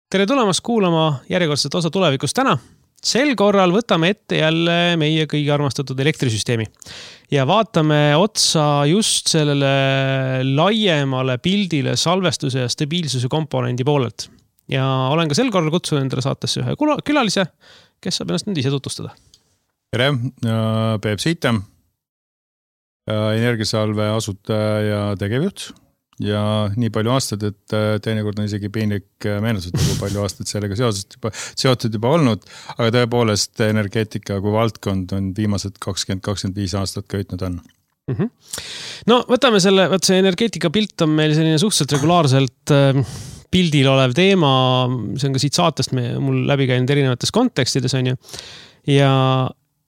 Tere tulemast kuulama järjekordset osa tulevikust täna. Sel korral võtame ette jälle meie kõige armastatud elektrisüsteemi ja vaatame otsa just sellele laiemale pildile salvestuse ja stabiilsuse komponendi poolelt. Ja olen ka sel korral kutsunud endale saatesse ühe külalise, kes saab ennast nüüd ise tutvustada. Tere, Peep Siitem, energiasalve asutaja ja tegevjuht. Ja nii palju aastad, et teinekord on isegi piinlik meenutada, kui palju aastad sellega seotud juba olnud, aga tõepoolest energeetika kui valdkond on viimased 20-25 aastat köitnud on. No võtame see energeetika pilt on meil selline suhteliselt regulaarselt pildil olev teema, see on ka siit saatest mul läbi käinud erinevates kontekstides on ju. Ja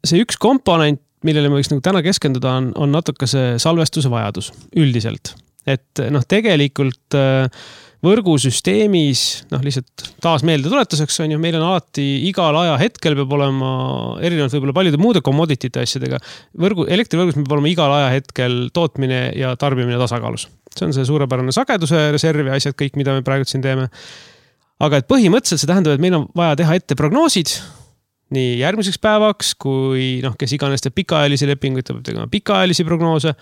see üks komponent, millele ma võiks nagu täna keskenduda on natuke see salvestuse vajadus üldiselt. Et tegelikult võrgusüsteemis, lihtsalt taas meelde tuletuseks on ju, meil on alati igal aja hetkel peab olema erinevalt võib-olla paljude muude commoditite asjadega. Elektrivõrgus peab olema igal aja hetkel tootmine ja tarbimine tasakaalus. See on see suurepärane sageduse reserv ja asjad kõik, mida me praegu siin teeme. Aga et põhimõtteliselt see tähendab, et meil on vaja teha ette prognoosid nii järgmiseks päevaks, kui kes iganes teeb pikaajalisi lepinguid, peab tegema pikaajalisi prognoose.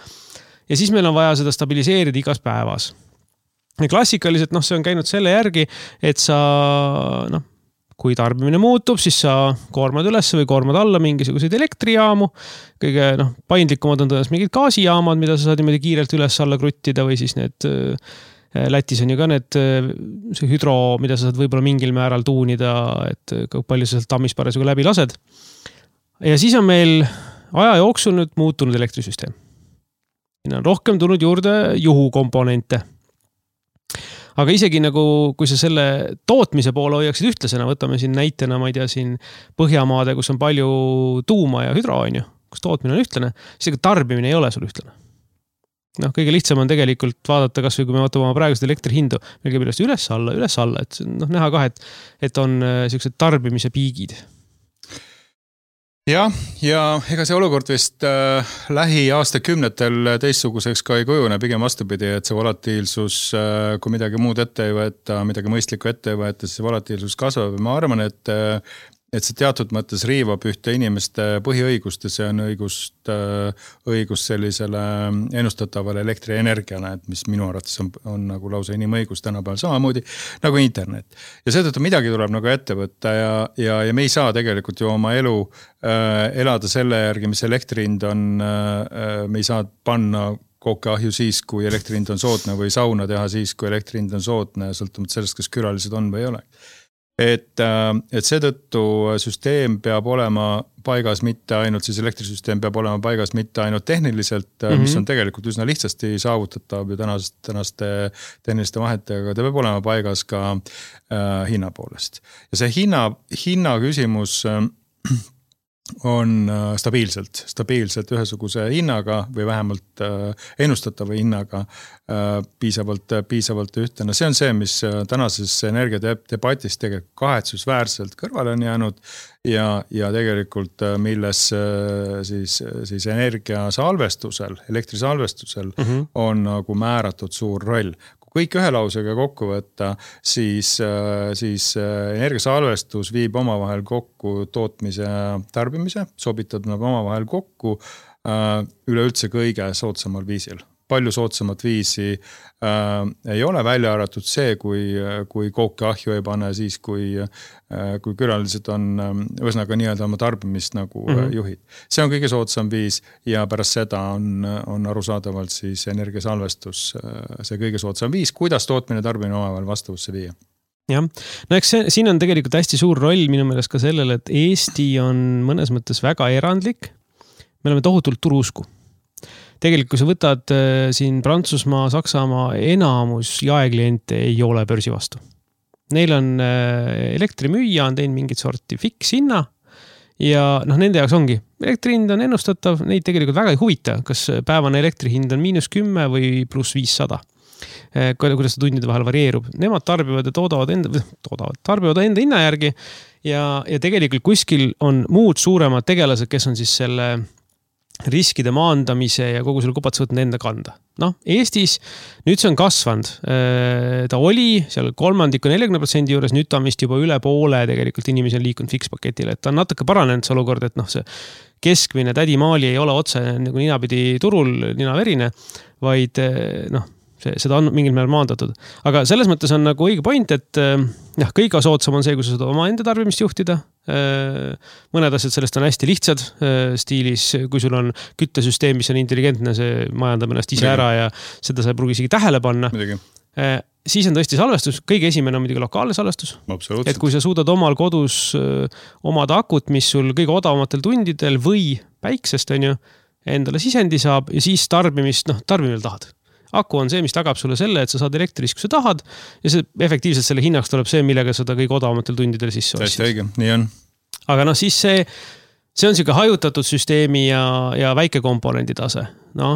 Ja siis meil on vaja seda stabiliseerida igas päevas. Ja klassikaliselt see on käinud selle järgi, et sa, kui tarbimine muutub, siis sa koormad üles või koormad alla mingisuguseid elektrijaamu. Kõige paindlikumad on tõenäoliselt mingid gaasijaamad, mida sa saad niimoodi kiirelt üles alla kruttida või siis need Lätis on ju ka see hüdro, mida sa saad võib-olla mingil määral tuunida, et palju sa sealt tammis parasjagu läbi lased. Ja siis on meil aja jooksul nüüd muutunud elektrisüsteem. On rohkem tulnud juurde juhukomponente. Aga isegi kui sa selle tootmise poole hoiaksid ühtlasena, võtame siin näitena, ma ei tea, siin Põhjamaade, kus on palju tuuma ja hüdro on ju, kus tootmine on ühtlane, siis tarbimine ei ole sul ühtlane. Kõige lihtsam on tegelikult vaadata, kas või kui me vaatame praegust elektrihindu, meil käib üles alla, et näha ka, et on sellised tarbimise piigid. Ja ega see olukord vist lähiaastakümnetel teistsuguseks ka ei kujune, pigem vastupidi, et see volatiilsus, kui midagi muud ette ei võeta, midagi mõistlikku ette ei võeta, siis see volatiilsus kasvab. Ma arvan, et see teatud mõttes riivab ühte inimeste põhiõigust ja see on õigus sellisele ennustatavale elektrienergiale, et mis minu arvates on nagu lausa inimõigus tänapäeval samamoodi nagu internet. Ja seetõttu midagi tuleb nagu ette võtta ja me ei saa tegelikult ju oma elu elada selle järgi, mis elektrihind on, me ei saa panna kookeahju siis, kui elektrihind on soodne või sauna teha siis, kui elektrihind on soodne, sõltumata sellest, kas külalised on või ei ole. Et seetõttu süsteem peab olema paigas mitte ainult, siis elektrisüsteem peab olema paigas mitte ainult tehniliselt, mis on tegelikult üsna lihtsasti saavutatav ju tänaste tehniliste vahetega, ta peab olema paigas ka hinna poolest. Ja see hinna küsimus on stabiilselt ühesuguse hinnaga või vähemalt ennustatava hinnaga piisavalt ühtne. See on see, mis tänases energiadebatis tegelikult kahetsusväärselt kõrvale on jäänud ja tegelikult milles siis energiasalvestusel, elektrisalvestusel on nagu määratud suur roll. Kõik ühe lausega kokku võtta, siis energiasalvestus viib omavahel kokku tootmise ja tarbimise, sobitab nad omavahel kokku üleüldse kõige soodsamal viisil. Palju soodsamat viisi ei ole välja arvatud see, kui kookeahju ei pane siis, kui külalised on ühesõnaga nii-öelda oma tarbimist nagu juhid. See on kõige soodsam viis ja pärast seda on arusaadavalt siis energiasalvestus see kõige soodsam viis, kuidas tootmine tarbimine omavahel vastavusse viia. Jah, eks siin on tegelikult hästi suur roll minu meelest ka sellele, et Eesti on mõnes mõttes väga erandlik. Me oleme tohutult turuusku. Tegelikult, kui sa võtad siin Prantsusmaa, Saksamaa enamus jaekliente ei ole börsi vastu. Neil on elektrimüüja, on teinud mingit sorti fikshinna ja nende jaoks ongi. Elektrihind on ennustatav, neid tegelikult väga ei huvita, kas päevane elektrihind on -10 või +500. Kuidas see tundide vahel varieerub. Nemad tarbivad ja tarbivad enda hinna järgi ja tegelikult kuskil on muud suuremad tegelased, kes on siis selle riskide maandamise ja kogu selle kupatuse võtnud enda kanda. Eestis nüüd see on kasvanud. Ta oli seal 30–40% juures, nüüd ta on vist juba üle poole tegelikult inimesi on liikunud fikspaketile, et ta on natuke paranenud see olukord, et see keskmine tädimaali ei ole otse nagu ninapidi turul ninaverine, vaid seda on mingil määral maandatud. Aga selles mõttes on nagu õige point, et kõige soodsam on see, kui sa saad oma enda tarbimist juhtida. Mõned asjad sellest on hästi lihtsad stiilis, kui sul on küttesüsteem, mis on intelligentne, see majandab ennast ise ära ja seda sa ei pruugi isegi tähele panna. Siis on tõesti salvestus, kõige esimene on muidugi lokaalne salvestus. Et kui sa suudad omal kodus omada akut, mis sul kõige odavamatel tundidel või päiksest on ju, endale sisendi saab ja siis tarbimil tahad. Aku on see, mis tagab sulle selle, et sa saad elektris, kui sa tahad ja see efektiivselt selle hinnaks tuleb see, millega seda kõige odavamatel tundidel sisse ostsid. Täiesti õige, nii on. Aga siis see on siuke hajutatud süsteemi ja väike komponendi tase.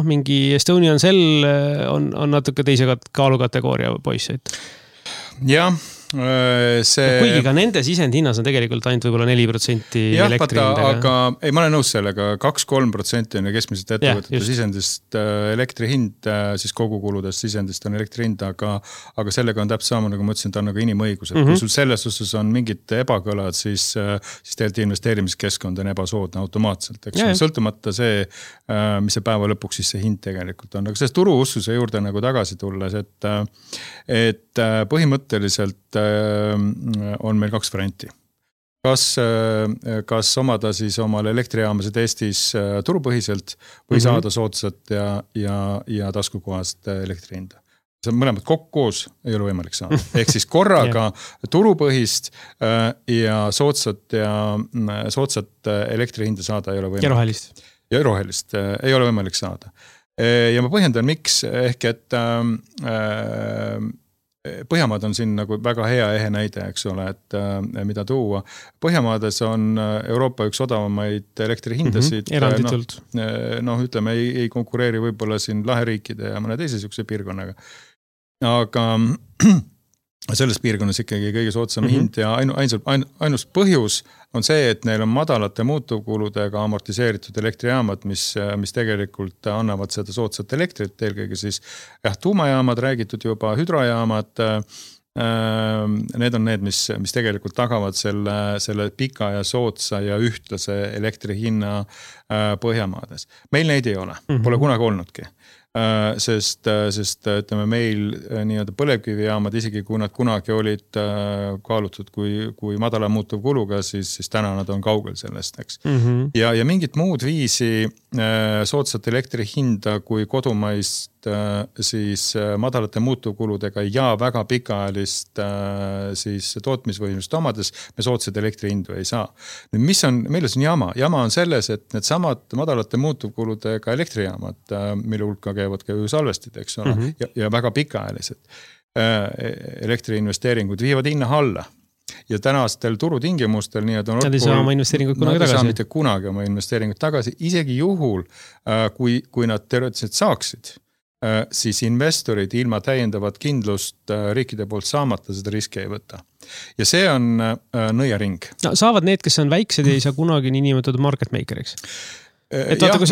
Mingi Estonian Cell on natuke teise kaalukategooria poisseid. Jah. Kuigi ka nende sisend hinnas on tegelikult ainult võib-olla 4% elektri hindaga. Aga ei, ma olen nõus sellega, 2-3% on keskmiselt ettevõtete sisendist elektri hind, siis kogukuludest sisendist on elektri hind, aga sellega on täpselt sama, nagu ma ütlesin, ta on nagu inimõigus. Kui sul selles osas on mingid ebakõlad, siis tegelikult investeerimiskeskkond on ebasoodne automaatselt. Sõltumata see, mis see päeva lõpuks siis see hind tegelikult on. Aga sellest turuussuse juurde nagu tagasi tulles, et põhimõtteliselt on meil 2 varianti. Kas omada siis omal elektrijaamasid Eestis turupõhiselt või saada soodsat ja taskukohast elektrihinda. See mõlemad koos ei ole võimalik saada. Ehk siis korraga turupõhist ja soodsat elektrihinda saada ei ole võimalik. Ja rohelist ei ole võimalik saada. Ja ma põhjendan, miks, ehk et Põhjamaad on siin nagu väga hea ehe näide, eks ole, et mida tuua. Põhjamaades on Euroopa üks odavamaid elektrihindasid. Eranditult. Ütleme, ei konkureeri võib-olla siin laheriikide ja mõne teise sihukese piirkonnaga. Aga selles piirkonnas ikkagi kõige soodsam hind ja ainus põhjus on see, et neil on madalate muutuvkuludega amortiseeritud elektrijaamad, mis tegelikult annavad seda soodsat elektrit, eelkõige siis tuumajaamad, räägitud juba hüdrojaamad, need on need, mis tegelikult tagavad selle pika ja soodsa ja ühtlase elektri hinna Põhjamaades. Meil neid ei ole, pole kunagi olnudki. Sest ütleme meil nii-öelda põlevkivijaamad, isegi kui nad kunagi olid kaalutud kui madala muutuv kuluga, siis täna nad on kaugel sellest, eks. Ja mingit muud viisi soodsat elektri hinda kui kodumaist siis madalate muutuvkuludega ja väga pikaajalist siis tootmisvõimust omades me soodsaid elektri hindu ei saa. Nüüd, milles on jama? Jama on selles, et need samad madalate muutuvkuludega elektrijaamad, mille hulka käivad ka ju salvestid, eks ole, ja väga pikaajalised elektriinvesteeringud viivad hinna alla. Ja tänastel turutingimustel Nad ei saa oma investeeringut kunagi tagasi. Nad ei saa mitte kunagi oma investeeringut tagasi, isegi juhul, kui nad teoreetiliselt saaksid, siis investorid ilma täiendavat kindlust riikide poolt saamata seda riski ei võta. Ja see on nõiaring. Saavad need, kes on väiksed ja ei saa kunagi niinimetatud market makeriks. Et vaata, kui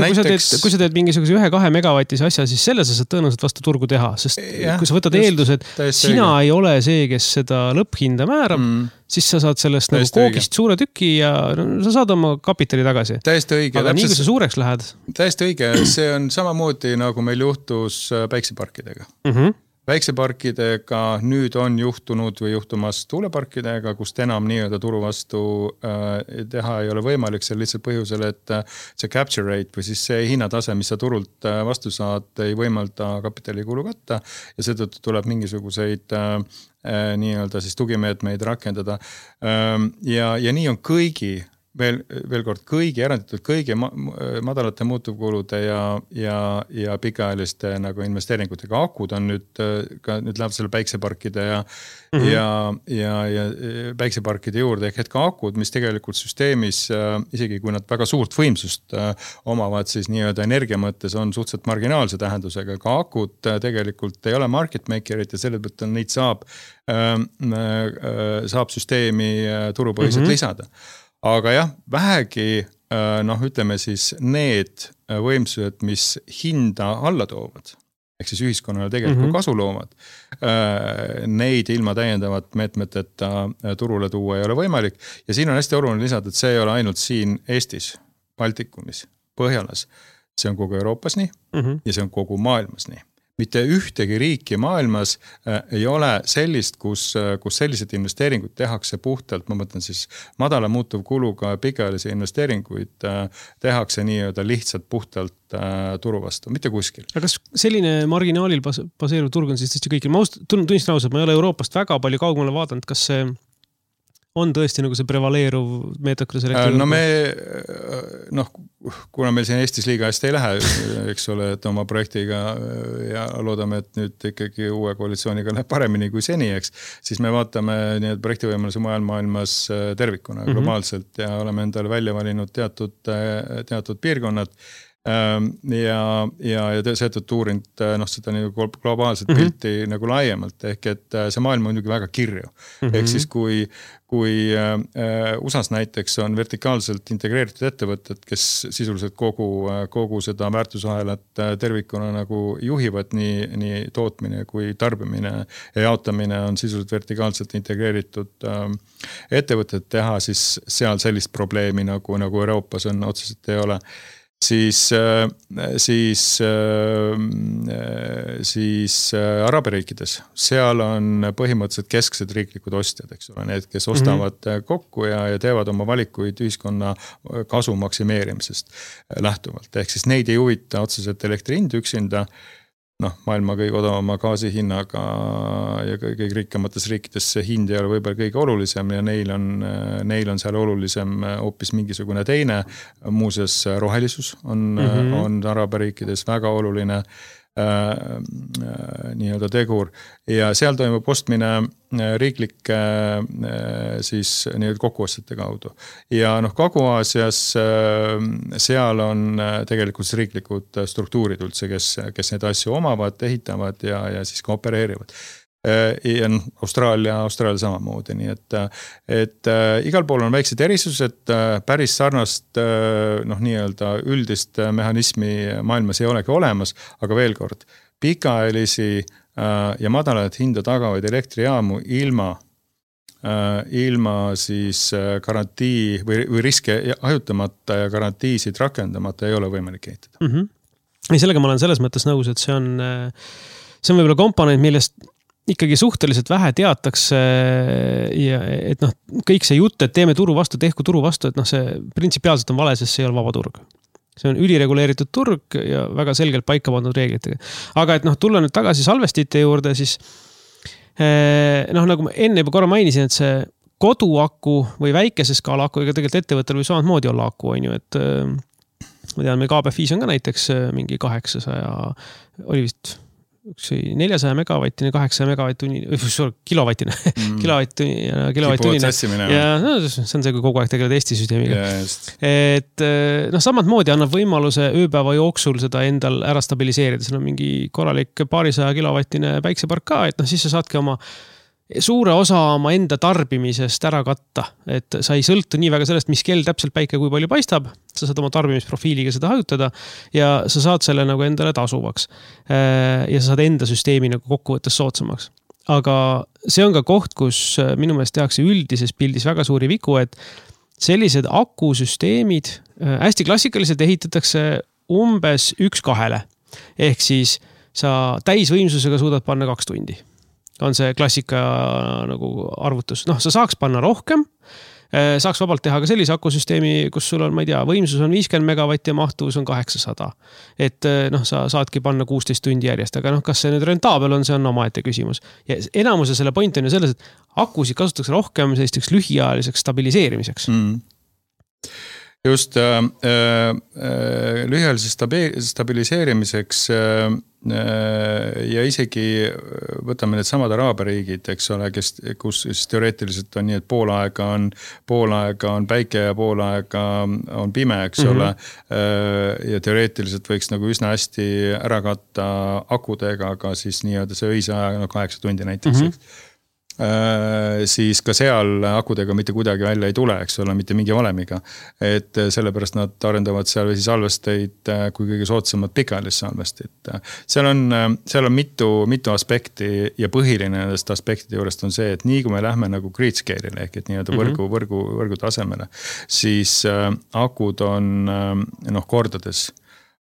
sa teed mingisuguse 1-2 megavatise asja, siis selle sa saad tõenäoliselt vastu turgu teha, sest kui sa võtad eeldus, et sina ei ole see, kes seda lõpphinda määrab, siis sa saad sellest nagu koogist suure tüki ja sa saad oma kapitali tagasi. Täiesti õige. Aga nii kui sa suureks lähed? Täiesti õige. See on samamoodi, nagu meil juhtus päikseparkidega. Päikseparkidega nüüd on juhtunud või juhtumas tuuleparkidega, kust enam nii-öelda turu vastu teha ei ole võimalik seal lihtsalt põhjusel, et see capture rate või siis see hinnatase, mis sa turult vastu saad, ei võimalda kapitalikulu katta ja seetõttu tuleb mingisuguseid nii-öelda siis tugimeetmeid rakendada. Ja nii on veel kord eranditult kõigi madalate muutuvkulude ja pikaajaliste nagu investeeringutega akud on nüüd läheb selle päikseparkide ja päikseparkide juurde ehk ka akud, mis tegelikult süsteemis, isegi kui nad väga suurt võimsust omavad, siis nii-öelda energia mõttes on suhteliselt marginaalse tähendusega, ka akud tegelikult ei ole market makerit ja selle tõttu neid saab süsteemi turupõhiselt lisada. Aga jah, vähegi noh, ütleme siis need võimsused, mis hinda alla toovad, ehk siis ühiskonnale tegelikult kasu loovad, neid ilma täiendavat meetmeteta turule tuua ei ole võimalik. Ja siin on hästi oluline lisada, et see ei ole ainult siin Eestis, Baltikumis, Põhjalas. See on kogu Euroopas nii ja see on kogu maailmas nii. Mitte ühtegi riiki maailmas ei ole sellist, kus sellised investeeringud tehakse puhtalt, ma mõtlen siis madala muutuv kuluga pikaajalisi investeeringuid tehakse nii-öelda lihtsalt puhtalt turu vastu, mitte kuskil. Aga kas selline marginaalil baseeruv turg on siis tõesti kõigil? Ma tunnistan ausalt, ma ei ole Euroopast väga palju kaugemale vaadanud, kas see on tõesti nagu see prevaleeruv meetod, kuidas elektri... No me, kuna meil siin Eestis liiga hästi ei lähe, eks ole, et oma projektiga ja loodame, et nüüd ikkagi uue koalitsiooniga läheb paremini kui seni, eks, siis me vaatame nii projektivõimaluse mujal maailmas tervikuna globaalselt ja oleme endale välja valinud teatud piirkonnad. Ja seetõttu uurinud seda nagu globaalset pilti nagu laiemalt, ehk et see maailm on muidugi väga kirju. Ehk siis kui USAs näiteks on vertikaalselt integreeritud ettevõtted, kes sisuliselt kogu seda väärtusahelat tervikuna nagu juhivad, nii tootmine kui tarbimine ja jaotamine on sisuliselt vertikaalselt integreeritud ettevõtted teha, siis seal sellist probleemi nagu Euroopas on otseselt ei ole. Siis Araabiriikides, seal on põhimõtteliselt kesksed riiklikud ostjad, eks ole, need, kes ostavad kokku ja teevad oma valikuid ühiskonna kasu maksimeerimisest lähtuvalt. Ehk siis neid ei huvita otseselt elektri hind üksinda, maailma kõige odavama gaasi hinnaga ja kõige rikkamates riikides see hind ei ole võib-olla kõige olulisem ja neil on seal olulisem hoopis mingisugune teine. Muuseas, rohelisus on Araabiriikides väga oluline nii-öelda tegur ja seal toimub ostmine riiklike siis nii-öelda kokkuostjate kaudu. Ja Kagu-Aasias seal on tegelikult riiklikud struktuurid üldse, kes need asju omavad, ehitavad ja siis ka opereerivad. Ja Austraalia samamoodi, nii et igal pool on väiksed erisused, päris sarnast nii-öelda üldist mehhanismi maailmas ei olegi olemas, aga veel kord, pikaajalisi ja madalat hinda tagavaid elektrijaamu ilma siis garantii või riske hajutamata ja garantiisid rakendamata ei ole võimalik ehitada. Ja sellega ma olen selles mõttes nõus, et see on võib-olla komponent, millest ikkagi suhteliselt vähe teatakse ja et kõik see jutt, et teeme turu vastu, tehku turu vastu, et see printsipiaalselt on vale, sest see ei ole vaba turg. See on ülireguleeritud turg ja väga selgelt paika pandud reeglitega. Aga et tulla nüüd tagasi salvestite juurde, siis nagu ma enne juba korra mainisin, et see koduaku või väikese skaala aku, ega tegelikult ettevõttel või samamoodi olla aku, on ju, et ma tean, meil KBF5 on ka näiteks mingi 800, oli vist 400 megavattine, 800 megavatt-tunnine, kilovattine, kilovatt-tunnine. Ja see on see, kui kogu aeg tegeled Eesti süsteemiga. Et samad moodi annab võimaluse ööpäeva jooksul seda endal ära stabiliseerida. See on mingi korralik paarisaja kilovattine päiksepark ka, et siis sa saadki oma suure osa oma enda tarbimisest ära katta, et sa ei sõltu nii väga sellest, mis kell täpselt päike kui palju paistab, sa saad oma tarbimisprofiiliga seda hajutada ja sa saad selle nagu endale tasuvaks ja sa saad enda süsteemi nagu kokkuvõttes soodsamaks. Aga see on ka koht, kus minu meelest tehakse üldises pildis väga suuri vigu, et sellised akusüsteemid hästi klassikaliselt ehitatakse umbes 1-2. Ehk siis sa täisvõimsusega suudad panna 2 tundi. On see klassika nagu arvutus. Sa saaks panna rohkem, saaks vabalt teha ka sellise akusüsteemi, kus sul on, ma ei tea, võimsus on 50 megavatti ja mahtuvus on 800. Et sa saadki panna 16 tundi järjest, aga kas see nüüd rentaabel on, see on omaette küsimus. Ja enamuse selle point on ju selles, et akusid kasutatakse rohkem sellisteks lühiajaliseks stabiliseerimiseks. Just lühiajaliseks stabiliseerimiseks ja isegi võtame need samad Araabiriigid, eks ole, kus teoreetiliselt on nii, et pool aega on päike ja pool aega on pime, eks ole. Ja teoreetiliselt võiks nagu üsna hästi ära katta akudega, aga siis nii-öelda see öise aja 8 tundi näiteks. siis ka seal akudega mitte kuidagi välja ei tule, eks ole, mitte mingi valemiga. Et sellepärast nad arendavad seal vesisalvesteid kui kõige soodsamad pikaajalist salvestit. Seal on mitu aspekti ja põhiline nendest aspektide juurest on see, et nii kui me lähme nagu grid scale'ile ehk et nii-öelda võrgu tasemele, siis akud on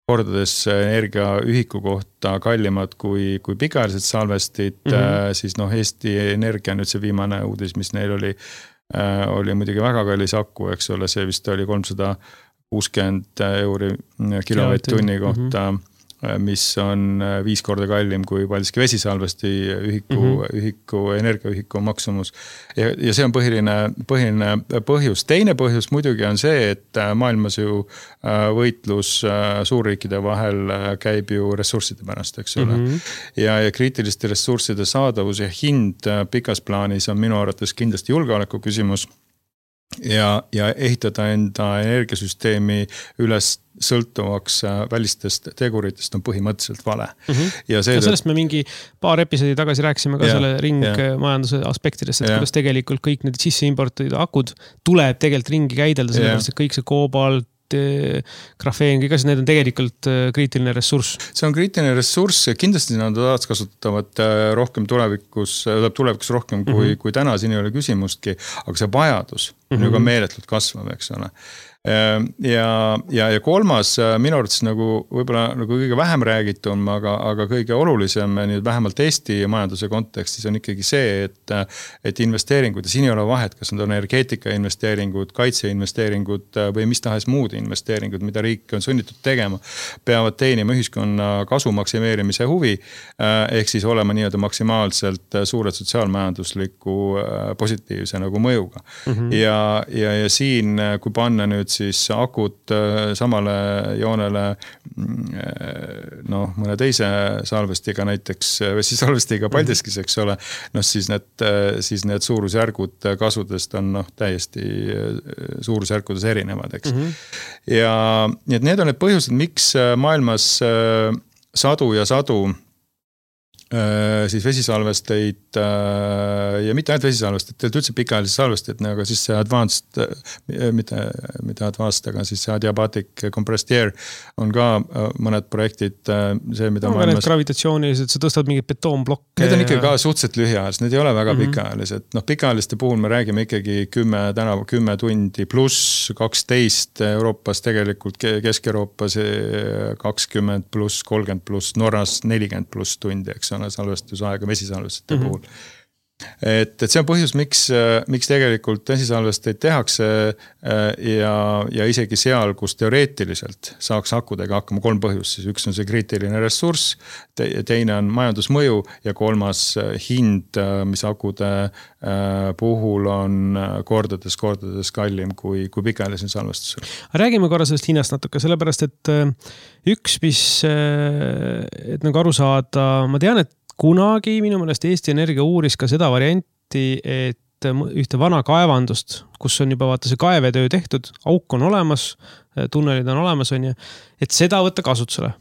kordades energiaühiku kohta kallimad kui pikaajalised salvestid, siis Eesti Energia nüüd see viimane uudis, mis neil oli muidugi väga kallis aku, eks ole, see vist oli 360 euri kilovatt-tunni kohta, mis on 5 korda kallim kui Paldiski vesisalvesti ühiku, energiaühiku maksumus. Ja see on põhiline põhjus. Teine põhjus muidugi on see, et maailmas ju võitlus suurriikide vahel käib ju ressursside pärast, eks ole. Ja kriitiliste ressursside saadavus ja hind pikas plaanis on minu arvates kindlasti julgeoleku küsimus. Ja ehitada enda energiasüsteemi üles sõltuvaks välistest teguritest on põhimõtteliselt vale. Ja sellest me mingi paar episoodi tagasi rääkisime ka selle ringmajanduse aspektidest, et kuidas tegelikult kõik need sisse importid akud tuleb tegelikult ringi käidelda, sellepärast et kõik see koobalt, grafeen, kõik asjad, need on tegelikult kriitiline ressurss. See on kriitiline ressurss ja kindlasti nad kasutavad rohkem tulevikus rohkem kui täna, siin ei ole küsimustki, aga see vajadus on ju ka meeletult kasvav, eks ole. Ja kolmas minu arvates nagu võib-olla nagu kõige vähem räägitum, aga kõige olulisem nüüd vähemalt Eesti majanduse kontekstis on ikkagi see, et investeeringud, ja siin ei ole vahet, kas need on energeetika investeeringud, kaitseinvesteeringud või mis tahes muud investeeringud, mida riik on sunnitud tegema, peavad teenima ühiskonna kasu maksimeerimise huvi, ehk siis olema nii-öelda maksimaalselt suured sotsiaalmajandusliku positiivse nagu mõjuga. Ja siin, kui panna nüüd siis akud samale joonele mõne teise salvestiga, näiteks vesisalvestiga Paldiskis, eks ole, siis need suurusjärgud kasudest on täiesti suurusjärkudes erinevad, eks. Ja need on need põhjused, miks maailmas sadu siis vesisalvesteid ja mitte ainult vesisalvesteid, teelt üldse pikaajalisi salvesteid, aga siis see advanced, mitte advanced, aga siis see adiabatic compressed air on ka mõned projektid, see mida maailmas... Gravitatsioonilised, sa tõstad mingid betoonblokke. Need on ikkagi ka suhteliselt lühiajalised, need ei ole väga pikaajalised. Pikaajaliste puhul me räägime ikkagi 10 tundi pluss 12 Euroopas, tegelikult Kesk-Euroopas 20 pluss 30 pluss, Norras 40 pluss tundi, eks on salvestusaega vesisalvestite puhul. Et see on põhjus, miks tegelikult vesisalvesteid tehakse ja isegi seal, kus teoreetiliselt saaks akudega hakkama 3 põhjust, siis üks on see kriitiline ressurss, teine on majandusmõju ja kolmas hind, mis akude puhul on kordades kallim kui pikaajalise salvestusel. Räägime korra sellest hinnast natuke, sellepärast, et üks, mis et nagu aru saada, ma tean, et kunagi minu meelest Eesti Energia uuris ka seda varianti, et ühte vana kaevandust, kus on juba vaata see kaevetöö tehtud, auk on olemas, tunnelid on olemas, et seda võtta kasutusele.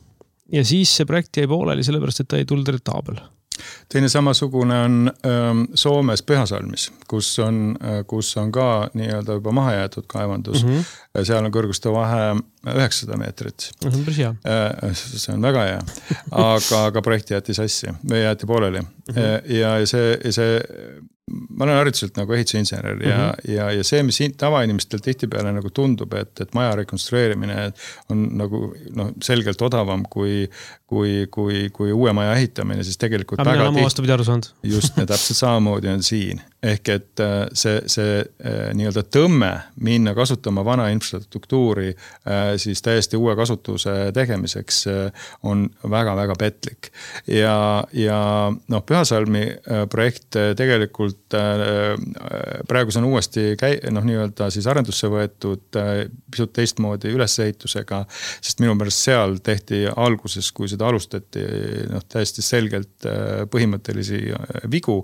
Ja siis see projekt jäi pooleli, sellepärast, et ta ei tulnud rentaabel. Teine samasugune on Soomes Pühasalmis, kus on ka nii-öelda juba maha jäetud kaevandus. Seal on kõrguste vahe 900 meetrit. See on väga hea. Aga projekti jäeti sassi või jäeti pooleli. Ja see ma olen hariduselt nagu ehitusinsener ja see, mis tavainimestel tihtipeale nagu tundub, et maja rekonstrueerimine on nagu selgelt odavam kui uue maja ehitamine, siis tegelikult väga just täpselt samamoodi on siin. Ehk et see nii-öelda tõmme minna kasutama vana infrastruktuuri siis täiesti uue kasutuse tegemiseks on väga-väga petlik. Ja Pühasalmi projekt tegelikult praegu see on uuesti nii-öelda siis arendusse võetud pisut teistmoodi ülesehitusega, sest minu pärast seal tehti alguses, kui seda nii-öelda alustati täiesti selgelt põhimõttelisi vigu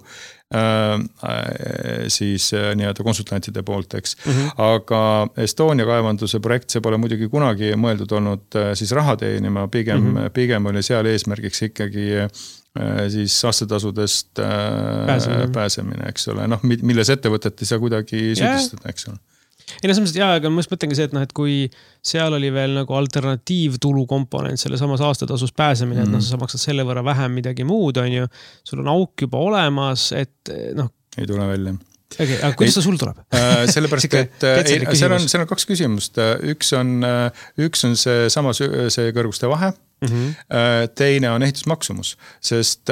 siis nii-öelda konsultantide poolt, eks. Aga Estonia kaevanduse projekt, see pole muidugi kunagi mõeldud olnud siis raha teenima, pigem oli seal eesmärgiks ikkagi siis aastatasudest pääsemine, eks ole. Milles ettevõtet ei saa kuidagi süüdistada, eks ole. Ei, selles mõttes, aga ma mõtlengi see, et kui seal oli veel nagu alternatiivtulu komponent selle samas aastatasus pääsemine, et sa maksad selle võrra vähem midagi muud, on ju, sul on auk juba olemas, et ei tule välja. Okay, aga kuidas ta sul tuleb? Sellepärast, et seal on kaks küsimust. Üks on see sama see kõrguste vahe. Teine on ehitusmaksumus, sest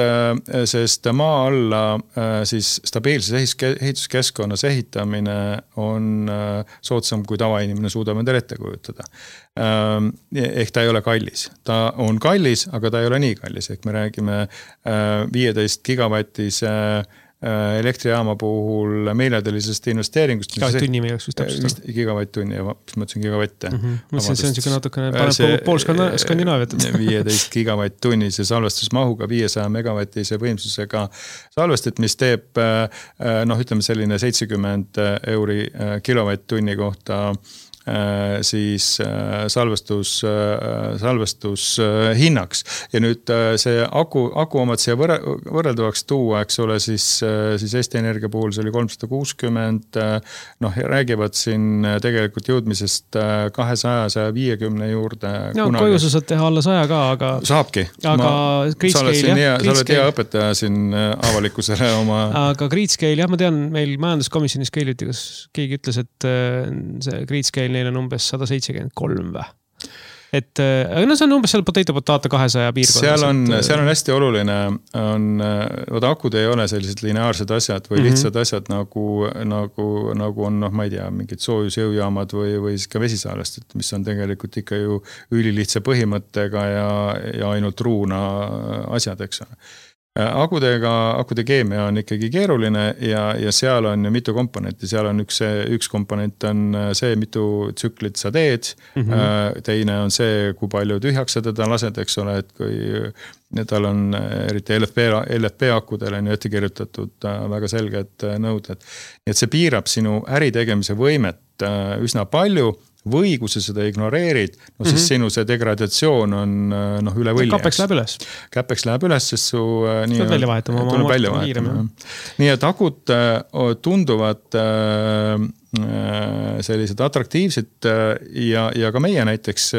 maa alla siis stabiilses ehituskeskkonnas ehitamine on soodsam, kui tavainimene suudab endale ette kujutada. Ehk ta ei ole kallis. Ta on kallis, aga ta ei ole nii kallis. Ehk me räägime 15 gigavatise elektrijaama puhul miljardillisest investeeringust. Gigavatt-tunni meil oleks vist täpselt. Gigavatt-tunni, mis ma ütlesin gigavatte. See on niisugune natukene paneb pool Skandinaaviat. 15 gigavatt-tunni see salvestusmahuga 500 megavatise võimsusega salvestit, mis teeb ütleme selline 70 euri kilovatt-tunni kohta siis salvestus hinnaks. Ja nüüd see aku omad siia võrreldavaks tuua, eks ole, siis Eesti Energia puhul see oli 360, räägivad siin tegelikult jõudmisest 200-150 juurde. Koju sa saad teha alla 100 ka, aga... Saabki. Aga Gridscale, jah. Sa oled hea õpetaja siin avalikkusele oma... Aga Gridscale, jah, ma tean, meil majanduskomisjonis keeliti, kas keegi ütles, et see Gridscale neil on umbes 173 või. Et see on umbes seal potato 200 piirkonnas. Seal on hästi oluline, akud ei ole sellised lineaarsed asjad või lihtsad asjad nagu on, ma ei tea, mingid soojusjõujaamad või siis ka vesisalvestid, mis on tegelikult ikka ju ülilihtsa põhimõttega ja ainult ruuna asjad, eks ole. Akude keemia on ikkagi keeruline ja seal on ju mitu komponenti. Seal on üks komponent on see, mitu tsüklit sa teed. Teine on see, kui palju tühjaks sa teda lased, eks ole, et kui tal on eriti LFP akudele ette kirjutatud väga selged nõuded. Nii et see piirab sinu äritegemise võimet üsna palju. Või kui sa seda ignoreerid, siis sinu see degradatsioon on üle võlli. Käpeks läheb üles, sest su tuleb välja vahetama. Nii et akud tunduvad sellised atraktiivsed ja ka meie näiteks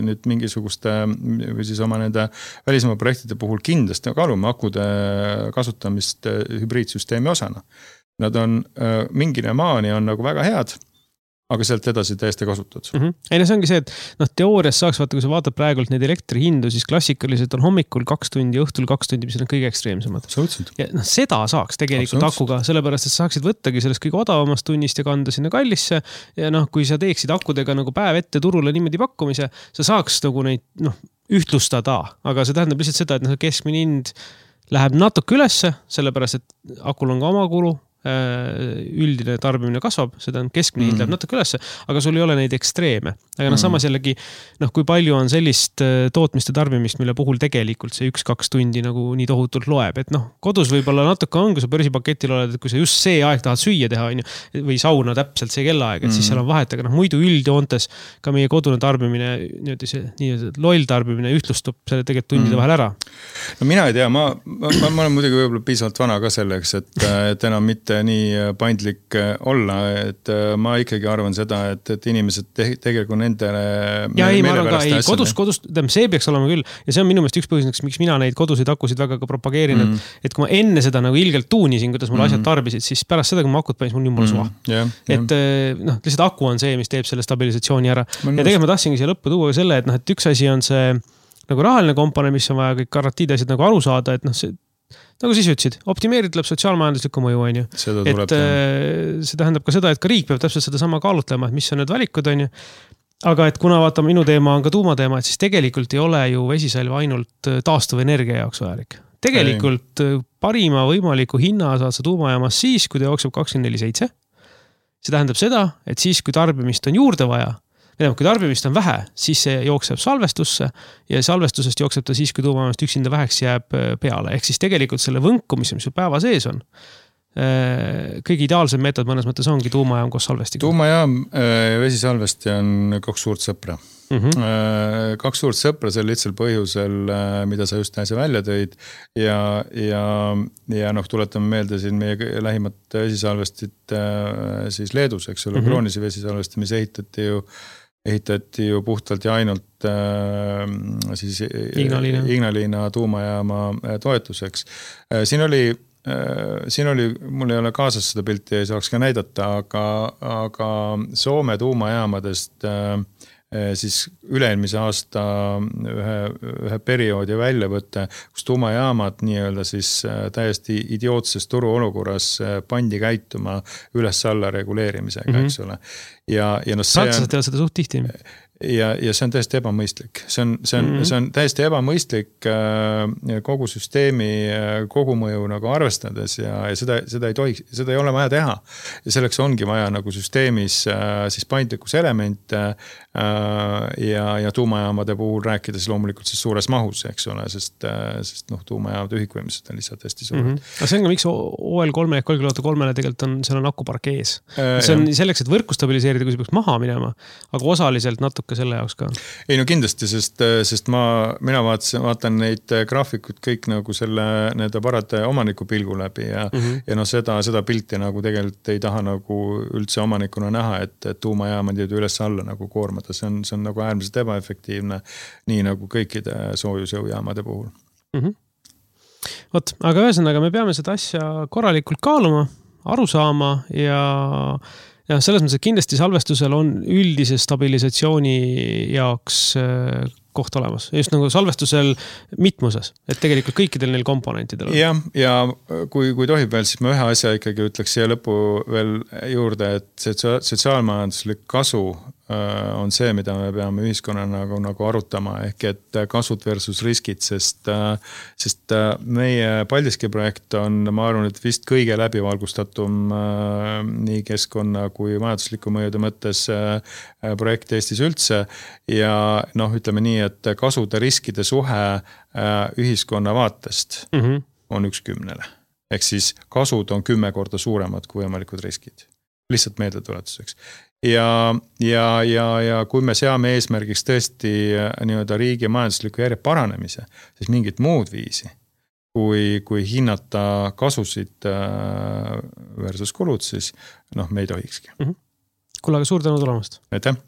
nüüd mingisuguste või siis oma nende välismaa projektide puhul kindlasti kaalume akude kasutamist hübriidsüsteemi osana. Nad on mingine maani on nagu väga head, aga sealt edasi täiesti kasutad. Ei, see ongi see, et teoorias saaks vaata, kui sa vaatad praegult neid elektrihindu, siis klassikaliselt on hommikul 2 tundi, õhtul 2 tundi, mis on kõige ekstreemsemad. Ja seda saaks tegelikult akuga, sellepärast, et saaksid võttagi sellest kõige odavamast tunnist ja kanda sinna kallisse. Ja kui sa teeksid akudega nagu päev ette turule niimoodi pakkumise, sa saaks nagu neid ühtlustada, aga see tähendab lihtsalt seda, et keskmine hind läheb natuke ülesse, sellepärast, et akul on ka oma kulu, üldine tarbimine kasvab, seda on keskmine hind läheb natuke ülesse, aga sul ei ole neid ekstreeme. Aga samas jällegi, kui palju on sellist tootmist ja tarbimist, mille puhul tegelikult see 1-2 tundi nagu nii tohutult loeb. Et kodus võib-olla natuke on, kui sa börsipaketil oled, et kui sa just see aeg tahad süüa teha või sauna täpselt see kellaaeg, et siis seal on vahet, aga muidu üldjoontes ka meie kodune tarbimine, nii loll tarbimine ühtlustub selle tegelikult tundide vahel ära. No mina ei tea, ma olen muidugi võib-olla piisavalt vana ka selleks, et enam mitte nii paindlik olla, et ma ikkagi arvan seda, et inimesed tegelikult nendele ja ei, ma arvan ka, ei, kodus, see peaks olema küll ja see on minu meelest üks põhjus, miks mina neid kodusid akusid väga ka propageerin, et kui ma enne seda nagu ilgelt tuunisin, kuidas mul asjad tarbisid, siis pärast seda, kui ma akut panin, mul jumala suva. Et lihtsalt aku on see, mis teeb selle stabilisatsiooni ära. Ja tegelikult ma tahtsingi siia lõppu tuua selle, et üks asi on see nagu rahaline komponent, mis on vaja kõik garantiid asjad nagu aru saada, et see nagu siis ütlesid, optimeerid tuleb sotsiaalmajanduslikku mõju, on ju. Et see tähendab ka seda, et ka riik peab täpselt seda sama kaalutlema, et mis on need valikud, on ju. Aga et kuna vaata, minu teema on ka tuumateema, et siis tegelikult ei ole ju vesisalv ainult taastuv energia jaoks vajalik. Tegelikult parima võimaliku hinna saad sa tuumajaamas siis, kui ta jookseb 24/7. See tähendab seda, et siis, kui tarbimist on juurde vaja, kui tarbimist on vähe, siis see jookseb salvestusse ja salvestusest jookseb ta siis, kui tuumajaamast üksinda väheks jääb peale. Ehk siis tegelikult selle võnkumise, mis päeva sees on, kõige ideaalsem meetod mõnes mõttes ongi tuumajaam koos salvestiga. Tuumajaam ja vesisalvesti on 2 suurt sõpra. 2 suurt sõpra seal lihtsal põhjusel, mida sa just näise välja tõid ja tuletame meelde siin meie lähimat vesisalvestit siis Leedus, eks ole, Kroonise vesisalvesti, mis ehitati ju puhtalt ja ainult siis Ignalina tuumajaama toetuseks. Siin oli, mul ei ole kaasas seda pilti, ei saaks ka näidata, aga Soome tuumajaamadest siis üle-eelmise aasta ühe perioodi väljavõtte, kus tuumajaamad nii-öelda siis täiesti idiootses turuolukorras pandi käituma üles-alla reguleerimisega, eks ole. Prantslased teevad seda suht tihti. Ja see on täiesti ebamõistlik. See on täiesti ebamõistlik kogu süsteemi kogumõju nagu arvestades ja seda ei tohiks, seda ei ole vaja teha. Ja selleks ongi vaja nagu süsteemis siis paindlikkus elemente ja tuumajaamade puhul rääkides loomulikult siis suures mahus, eks ole, sest tuumajaamad ühikvõimsused on lihtsalt hästi suured. Aga see on ka miks OL3 ehk Olkiluoto 3-le tegelikult seal on akupark ees. See on selleks, et võrku stabiliseerida, kui see peaks maha minema, aga osaliselt natuke selle jaoks ka. Ei no kindlasti, sest mina vaatan neid graafikud kõik nagu selle nende parate omaniku pilgu läbi ja seda pilti nagu tegelikult ei taha nagu üldse omanikuna näha, et tuumajaamad jäävad üles alla nagu koormata. See on nagu äärmiselt ebaefektiivne, nii nagu kõikide soojusjõujaamade puhul. Aga ühesõnaga me peame seda asja korralikult kaaluma, aru saama ja selles mõttes, et kindlasti salvestusel on üldise stabilisatsiooni jaoks koht olemas. Just nagu salvestusel mitmuses, et tegelikult kõikidel neil komponentidel on. Ja kui tohib veel, siis ma ühe asja ikkagi ütleks siia lõppu veel juurde, et see sotsiaalmajanduslik kasu on see, mida me peame ühiskonnana nagu arutama, ehk et kasud versus riskid, sest meie Paldiski projekt on, ma arvan, et vist kõige läbivalgustatum nii keskkonna kui majandusliku mõjude mõttes projekt Eestis üldse ja ütleme nii, et kasude riskide suhe ühiskonna vaatest on 1/10. Ehk siis kasud on 10 korda suuremad kui võimalikud riskid. Lihtsalt meeldetuletuseks. Ja kui me seame eesmärgiks tõesti nii-öelda riigi majandusliku järje paranemise, siis mingit muud viisi, kui hinnata kasusid versus kulud, siis me ei tohikski. Kuule, aga suur tänu tulemast. Aitäh!